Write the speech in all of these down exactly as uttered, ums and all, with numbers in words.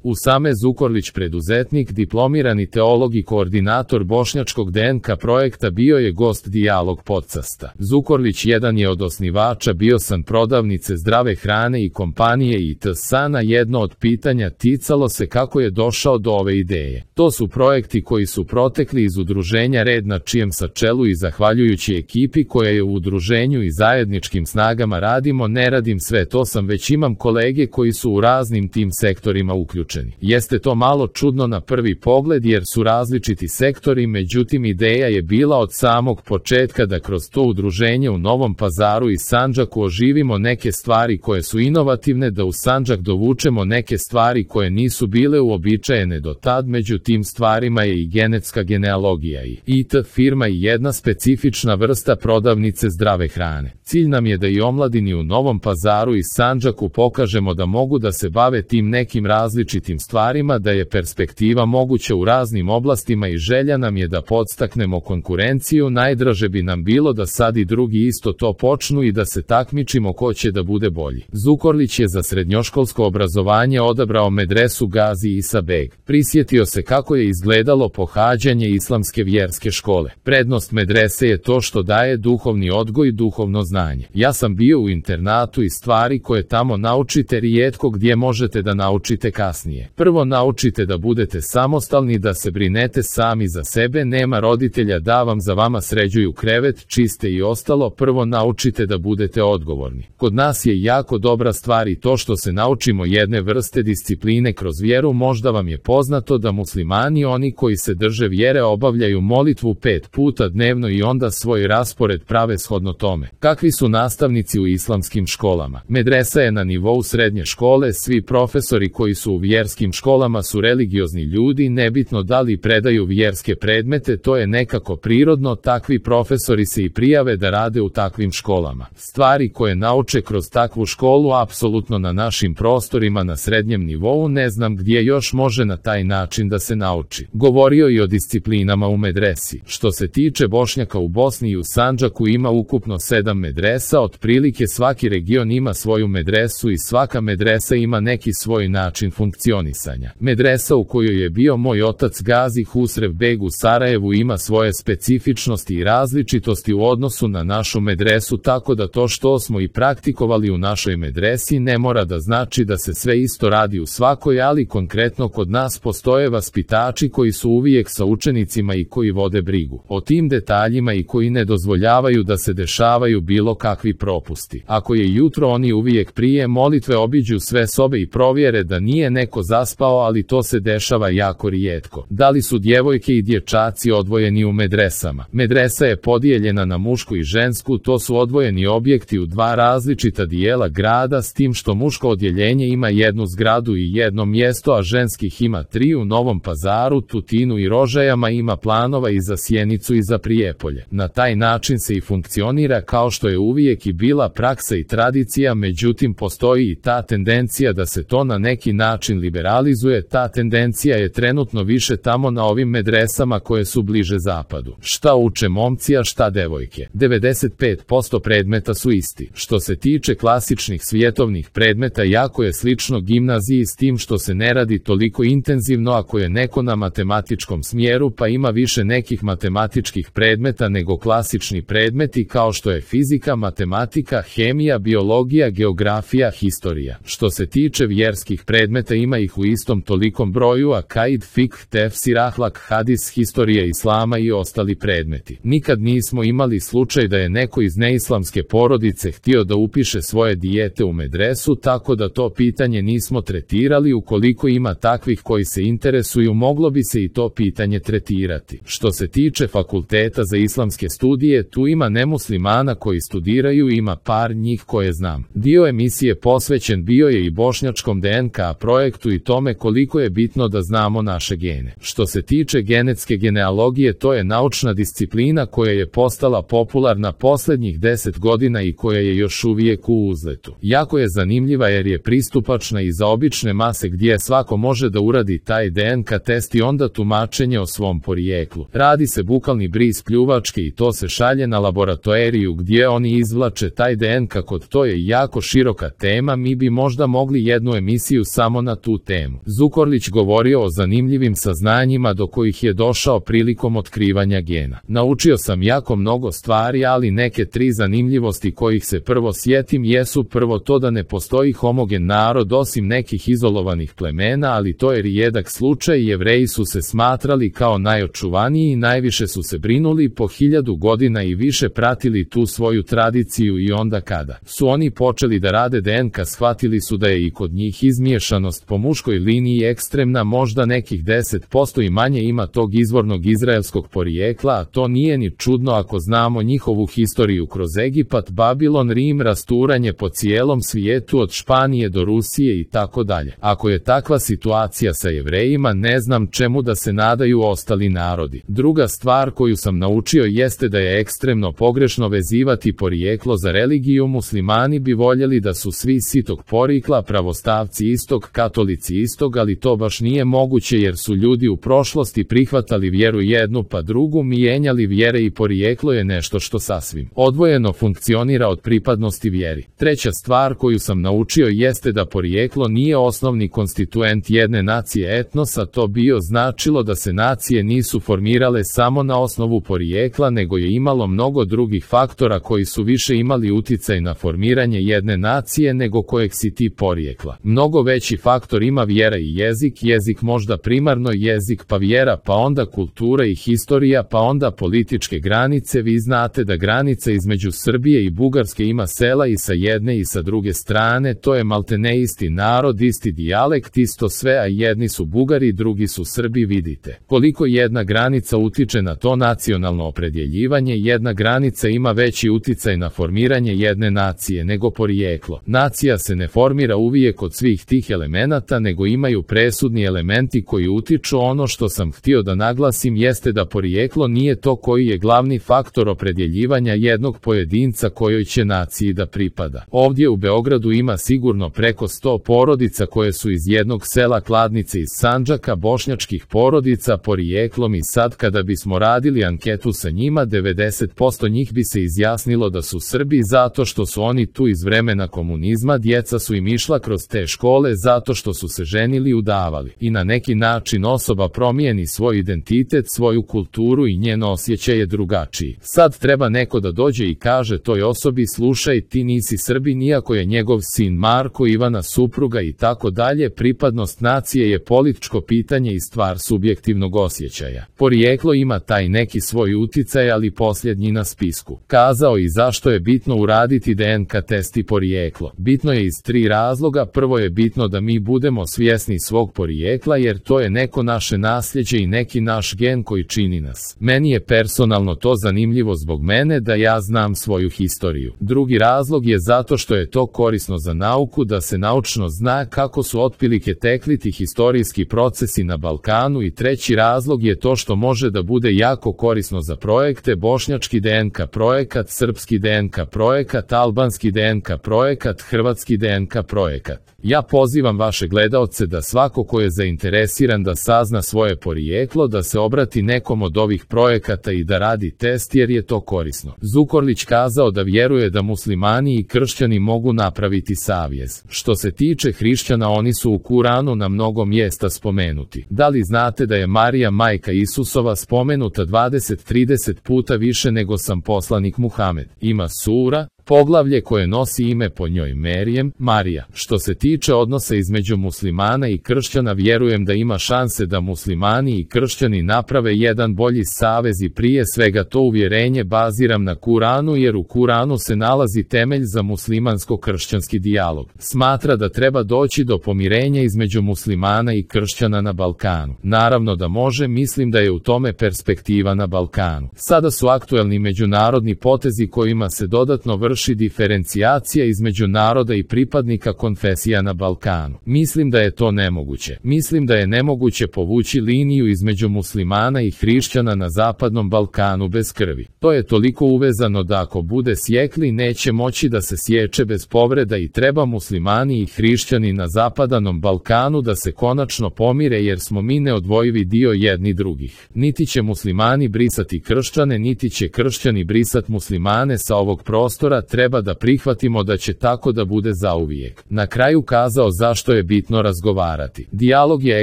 Usame Zukorlić, preduzetnik, diplomirani teolog i koordinator bošnjačkog D N K projekta, bio je gost Dijalog podcasta. Zukorlić jedan je od osnivača Bio sam prodavnice zdrave hrane i kompanije I T S A N A. Jedno od pitanja ticalo se kako je došao do ove ideje. To su projekti koji su protekli iz udruženja Red, na čijem sa čelu i zahvaljujući ekipi koja je u udruženju i zajedničkim snagama radimo. Ne radim sve to sam, već imam kolege koji su u raznim tim sektorima uključeni. Jeste to malo čudno na prvi pogled jer su različiti sektori, međutim ideja je bila od samog početka da kroz to udruženje u Novom Pazaru i Sandžaku oživimo neke stvari koje su inovativne, da u Sandžak dovučemo neke stvari koje nisu bile uobičajene do tad. Među tim stvarima je i genetska genealogija i I T firma i jedna specifična vrsta prodavnice zdrave hrane. Cilj nam je da i omladini u Novom Pazaru i Sandžaku pokažemo da mogu da se bave tim nekim različitim stvarima, da je perspektiva moguća u raznim oblastima i želja nam je da podstaknemo konkurenciju. Najdraže bi nam bilo da sad i drugi isto to počnu i da se takmičimo ko će da bude bolji. Zukorlić je za srednjoškolsko obrazovanje odabrao medresu Gazi Isa Beg. Prisjetio se kako je izgledalo pohađanje islamske vjerske škole. Prednost medrese je to što daje duhovni odgoj i duhovno znanje. Ja sam bio u internatu i stvari koje tamo naučite rijetko gdje možete da naučite kasnije. Prvo naučite da budete samostalni, da se brinete sami za sebe, nema roditelja da vam za vama sređuju krevet, čiste i ostalo. Prvo naučite da budete odgovorni. Kod nas je jako dobra stvar i to što se naučimo jedne vrste discipline kroz vjeru. Možda vam je poznato da muslimani, oni koji se drže vjere, obavljaju molitvu pet puta dnevno i onda svoj raspored prave shodno tome. Kakvi su nastavnici u islamskim školama? Medresa je na nivou srednje škole, svi profesori koji su u vjerskim školama su religiozni ljudi, nebitno da li predaju vjerske predmete, to je nekako prirodno, takvi profesori se i prijave da rade u takvim školama. Stvari koje nauče kroz takvu školu apsolutno na našim prostorima na srednjem nivou ne znam gdje još može na taj način da se nauči. Govorio i o disciplinama u medresi. Što se tiče Bošnjaka u Bosni i u Sandžaku ima ukupno sedam medresa, otprilike svaki region ima svoju medresu i svaka medresa ima neki svoj način funkcionisanja. Medresa u kojoj je bio moj otac Gazi Husrev Beg u Sarajevu ima svoje specifičnosti i različitosti u odnosu na našu medresu, tako da to što smo i praktikovali u našoj medresi ne mora da znači da se sve isto radi u svakoj, ali konkretno kod nas postoje vaspitači koji su uvijek sa učenicima i koji vode brigu o tim detaljima i koji ne dozvoljavaju da se dešavaju bilo kakvi propusti. Ako je jutro, oni uvijek prije molitve obiđu sve sobe i provjere da nije neko zaspao, ali to se dešava jako rijetko. Da li su djevojke i dječaci odvojeni u medresama? Medresa je podijeljena na mušku i žensku, to su odvojeni objekti u dva različita dijela grada, s tim što muško odjeljenje ima jednu zgradu i jedno mjesto, a ženskih ima tri. U Novom Pazaru, Tutinu i Rožajama ima planova i za Sjenicu i za Prijepolje. Na taj način se i funkcionira kao što je uvijek i bila praksa i tradicija, međutim postoji i ta tendencija da se to na neki način liberalizuje. Ta tendencija je trenutno više tamo na ovim medresama koje su bliže zapadu. Šta uče momci, a šta devojke? devedeset pet posto predmeta su isti. Što se tiče klasičnih svjetovnih predmeta, jako je slično gimnaziji, s tim što se ne radi toliko intenzivno. Ako je neko na matematičkom smjeru pa ima više nekih matematičkih predmeta nego klasični predmeti kao što je fizika, matematika, hemija, biologija, geografija, historija. Što se tiče vjerskih predmeta ima ih u istom tolikom broju, a kaid, fikh, tefsir, ahlak, hadis, historija islama i ostali predmeti. Nikad nismo imali slučaj da je neko iz neislamske porodice htio da upiše svoje dijete u medresu, tako da to pitanje nismo tretirali. Ukoliko ima takvih koji se interesuju, moglo bi se i to pitanje tretirati. Što se tiče fakulteta za islamske studije, tu ima nemuslimana koji studiraju, ima par njih koje znam. Dio emisije posvećen bio je i bošnjačkom D N K projektu i tome koliko je bitno da znamo naše gene. Što se tiče genetske genealogije, to je naučna disciplina koja je postala popularna posljednjih deset godina i koja je još uvijek u uzletu. Jako je zanimljiva jer je pristupačna i za obične mase, gdje svako može da uradi taj D N K test i onda tumačenje o svom porijeklu. Radi se bukalni bris pljuvačke i to se šalje na laboratoriju gdje oni izvlače taj D N K kod. To je jako široka tema, mi bi možda mogli jednu emisiju samo na tu tu temu. Zukorlić govorio o zanimljivim saznanjima do kojih je došao prilikom otkrivanja gena. Naučio sam jako mnogo stvari, ali neke tri zanimljivosti kojih se prvo sjetim jesu: prvo, to da ne postoji homogen narod osim nekih izolovanih plemena, ali to je rijedak slučaj. Jevreji su se smatrali kao najočuvaniji i najviše su se brinuli po hiljadu godina i više pratili tu svoju tradiciju, i onda kada su oni počeli da rade D N K, shvatili su da je i kod njih izmiješanost po muškoj liniji ekstremna, možda nekih deset posto i manje ima tog izvornog izraelskog porijekla, a to nije ni čudno ako znamo njihovu historiju kroz Egipat, Babilon, Rim, rasturanje po cijelom svijetu od Španije do Rusije i tako dalje. Ako je takva situacija sa Jevrejima, ne znam čemu da se nadaju ostali narodi. Druga stvar koju sam naučio jeste da je ekstremno pogrešno vezivati porijeklo za religiju. Muslimani bi voljeli da su svi sitog porijekla, pravostavci istog, katolici istog, ali to baš nije moguće jer su ljudi u prošlosti prihvatali vjeru jednu pa drugu, mijenjali vjere i porijeklo je nešto što sasvim odvojeno funkcionira od pripadnosti vjeri. Treća stvar koju sam naučio jeste da porijeklo nije osnovni konstituent jedne nacije, etnosa. To bio značilo da se nacije nisu formirale samo na osnovu porijekla, nego je imalo mnogo drugih faktora koji su više imali uticaj na formiranje jedne nacije nego kojeg si ti porijekla. Mnogo veći faktor ima vjera i jezik, jezik možda primarno jezik, pa vjera, pa onda kultura i historija, pa onda političke granice. Vi znate da granica između Srbije i Bugarske ima sela i sa jedne i sa druge strane, to je maltene isti narod, isti dijalekt, isto sve, a jedni su Bugari, drugi su Srbi. Vidite koliko jedna granica utiče na to nacionalno opredjeljivanje. Jedna granica ima veći uticaj na formiranje jedne nacije nego porijeklo. Nacija se ne formira uvijek od svih tih elemenata, nego imaju presudni elementi koji utiču. Ono što sam htio da naglasim jeste da porijeklo nije to koji je glavni faktor opredjeljivanja jednog pojedinca kojoj će naciji da pripada. Ovdje u Beogradu ima sigurno preko sto porodica koje su iz jednog sela, Kladnice iz Sandžaka, bošnjačkih porodica porijeklom, i sad kada bismo radili anketu sa njima, devedeset posto njih bi se izjasnilo da su Srbi zato što su oni tu iz vremena komunizma, djeca su im išla kroz te škole zato što su se ženili, udavali i na neki način osoba promijeni svoj identitet, svoju kulturu i njen osjećaj je drugačiji. Sad treba neko da dođe i kaže toj osobi: slušaj, ti nisi Srbin, iako je njegov sin Marko, Ivana supruga i tako dalje. Pripadnost nacije je političko pitanje i stvar subjektivnog osjećaja. Porijeklo ima taj neki svoj uticaj, ali posljednji na spisku. Kazao i zašto je bitno uraditi D N K test i porijeklo. Bitno je iz tri razloga. Prvo je bitno da mi budemo svjesni svog porijekla, jer to je neko naše nasljeđe i neki naš gen koji čini nas. Meni je personalno to zanimljivo zbog mene da ja znam svoju historiju. Drugi razlog je zato što je to korisno za nauku, da se naučno zna kako su otprilike tekli ti historijski procesi na Balkanu, i treći razlog je to što može da bude jako korisno za projekte: bošnjački D N K projekat, srpski D N K projekat, albanski D N K projekat, hrvatski D N K projekat. Ja pozivam vaše gledaoce da svako ko je zainteresiran da sazna svoje porijeklo, da se obrati nekom od ovih projekata i da radi test, jer je to korisno. Zukorlić kazao da vjeruje da muslimani i kršćani mogu napraviti savez. Što se tiče hrišćana, oni su u Kuranu na mnogo mjesta spomenuti. Da li znate da je Marija, majka Isusova, spomenuta dvadeset trideset puta više nego sam poslanik Muhamed? Ima sura, poglavlje koje nosi ime po njoj, Merijem, Marija. Što se tiče odnosa između muslimana i kršćana, vjerujem da ima šanse da muslimani i kršćani naprave jedan bolji savez, i prije svega to uvjerenje baziram na Kuranu, jer u Kuranu se nalazi temelj za muslimansko-kršćanski dijalog. Smatra da treba doći do pomirenja između muslimana i kršćana na Balkanu. Naravno da može, mislim da je u tome perspektiva na Balkanu. Sada su aktuelni međunarodni potezi kojima se dodatno vrši diferencijacija između naroda i pripadnika konfesija na Balkanu. Mislim da je to nemoguće. Mislim da je nemoguće povući liniju između muslimana i hrišćana na zapadnom Balkanu bez krvi. To je toliko uvezano da ako bude sjekli, neće moći da se sječe bez povreda, i treba muslimani i hrišćani na zapadnom Balkanu da se konačno pomire, jer smo mi neodvojivi dio jedni drugih. Niti će muslimani brisati kršćane, niti će kršćani brisati muslimane sa ovog prostora. onda treba da prihvatimo da će tako da bude zauvijek. Na kraju kazao zašto je bitno razgovarati. Dijalog je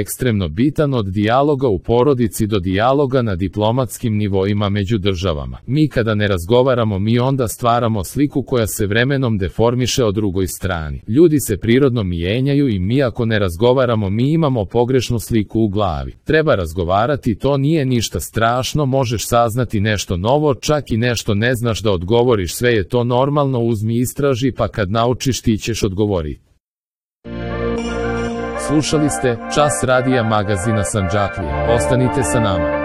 ekstremno bitan, od dijaloga u porodici do dijaloga na diplomatskim nivoima među državama. Mi kada ne razgovaramo, mi onda stvaramo sliku koja se vremenom deformiše o drugoj strani. Ljudi se prirodno mijenjaju i mi ako ne razgovaramo, mi imamo pogrešnu sliku u glavi. Treba razgovarati, to nije ništa strašno, možeš saznati nešto novo, čak i nešto ne znaš da odgovoriš, sve je to normalno, uzmi istraži pa kad naučiš ti ćeš odgovoriti. Slušali ste Čas radija magazina Sandžaklija. Ostanite sa nama.